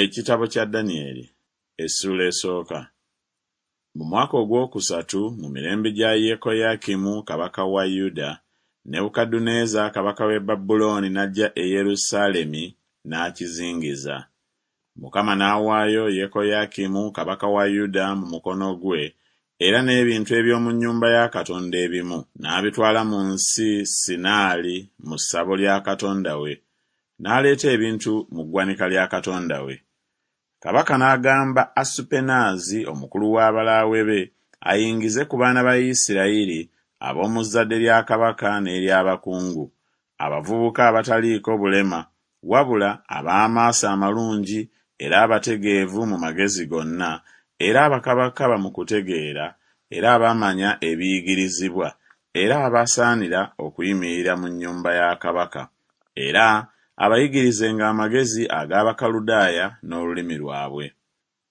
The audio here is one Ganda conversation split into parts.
Ekitabo kya Danyeri Essuula esooka. Mu mwaka ogwokusatu mu mirembe gya Yekoyakimu kabaka wa Yuda, Nebukadduneeza kabaka w'e Babulooni n'ajja e Yerusaalemi n'akizingiza. Mukama n'awaayo Yekoyakimu kabaka wa Yuda mu mukono gwe era n'ebintu eby'omu nnyumba ya Katonda ebimu n'abitwala mu nsi Sinaali mu ssabo lya katonda we, n'aleeta ebintu mu ggwanika lya katonda we. Kabaka n'agamba Asupenaazi omukulu w'abalaawe be ayingize ku baana ba Isirayiri ab'omu zzadde lya kabaka n'ery'abakungu, abavubuka abataliiko bulema, wabula ab'amaaso amalungi era abategeevu mu magezi gonna, era abakabakaba mu kutegeera, era abamanya ebiyigirizibwa, era abasaanira okuyimirira mu nnyumba ya kabaka, era abayigirizenga amagezi ag'Abakaludaaya n'olulimi lwabwe.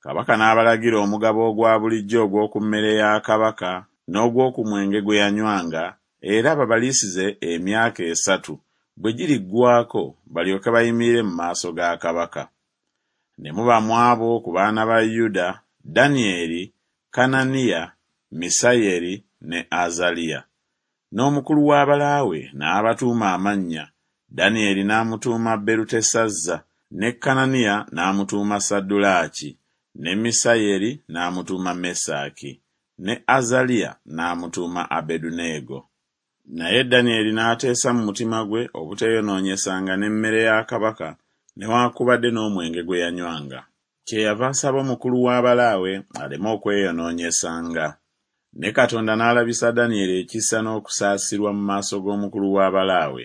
Kabaka n'abalagira omugabo ogwa bulijjo ogw'oku mmere ya kabaka n'ogw'oku mwenge gwe yanywanga, era babaliisize emyaka esatu, bwe giriggwaako balyoke bayimirire mu maaso ga kabaka. Ne muba mu abo ku baana ba Yuda, Danyeri, Kananiya, Misayeri ne Azaliya. N'omukulu w'abalaawe n'abatuuma amannya, Danyeri n'amutuuma Berutesazza, ne Kananiya n'amutuuma Saddulaaki, ne Misayeri n'amutuuma Mesaki, ne Azaliya n'amutuuma Abeduneego. Naye Danyeri n'ateesa mu mutima gwe obuteeyonoonyesanga n'emmere ya kabaka newaakubadde n'omwenge gwe yanywanga. Kyeyava asaba omukulu w'abalaawe aleme okweyonoonyesanga. Ne Katonda n'alabisa Danyeri ekisa n'okusaasirwa mu maaso g'omukulu w'abalaawe.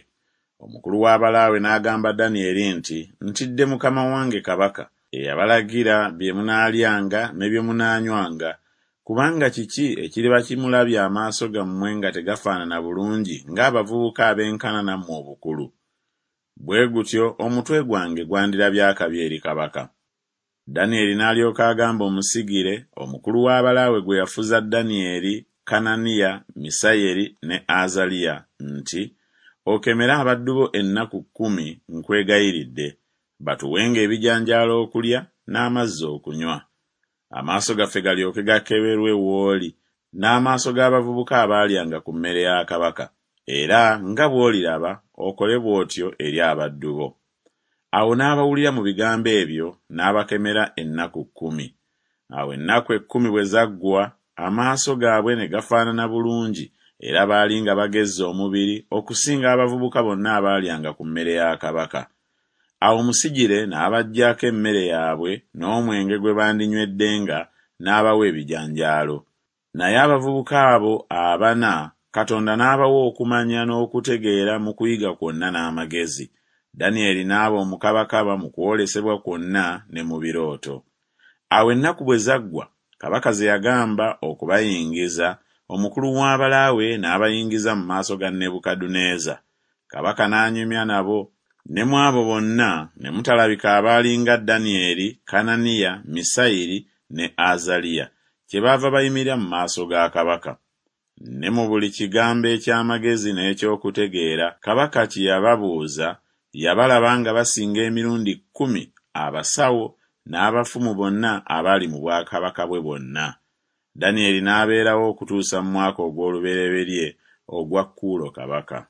Omukulu w'abalaawe n'agamba Danyeri nti, Ntidde mukama wange kabaka, eyabalagira bye munaalyanga ne bye munaanywanga, kubanga kiki ekiriba kimulabya amaaso gammwe nga tegafaanana bulungi ng'abavubuka abenkana nammwe obukulu? Bwe gutyo omutwe gwange gwandirabye akabi eri kabaka. Danyeri n'alyoka agamba omusigire, omukulu w'abalaawe gwe yafuza Danyeri, Kananiya, Misayeri ne Azaliya nti, Okemere abaddu bo ennaku kkumi, nkwegayiridde, batuwenga ebijanjaalo okulya n'amazzi okunywa. Amaaso gaffe galyoke gakeberwe w'oli, n'amaaso g'abavubuka abaalyanga ku mmere ya kabaka, era nga bw'oliraba okole bw'otyo eri abaddu bo. Awo n'abawulira mu bigambo ebyo, n'abakemera ennaku kkumi. Awo ennaku ekkumi bwe zaggwa, amaaso gaabwe ne gafaanana bulungi, era baali nga bagezze omubiri okusinga abavubuka bonna abaalyanga ku mmere ya kabaka. Awo Musigire n'abaggyako emmere yaabwe n'omwenge gwe bandinyweddenga, n'abawa ebijanjaalo. Naye abavubuka abo abana Katonda n'abawa okumanya n'okutegeera mu kuyiga kwonna n'amagezi. Danyeri n'aba omukabakaba mu kwolesebwa kwonna ne mu birooto. Awo ennaku bwe zaggwa, kabaka ze yagamba okubayingiza, omukulu w'abalaawe n'abayingiza mu maaso ga Nebukadduneeza. Kabaka n'anyumya nabo, ne mu abo bonna ne mutalabika abaali nga Danyeri, Kananiya, Misayiri ne Azaliya, kyebaava bayimirira mu maaso ga kabaka. Ne mu buli kigambo eky'amagezi n'eky'okutegeera kabaka kye yababuuza, yabalaba nga basinga emirundi kkumi abasawo n'abafumu bonna abaali mu bwakabaka bwe bwonna. Danyeri n'abeerawo okutuusa mu mwaka ogw'olubereberye ogwa Kuulo kabaka.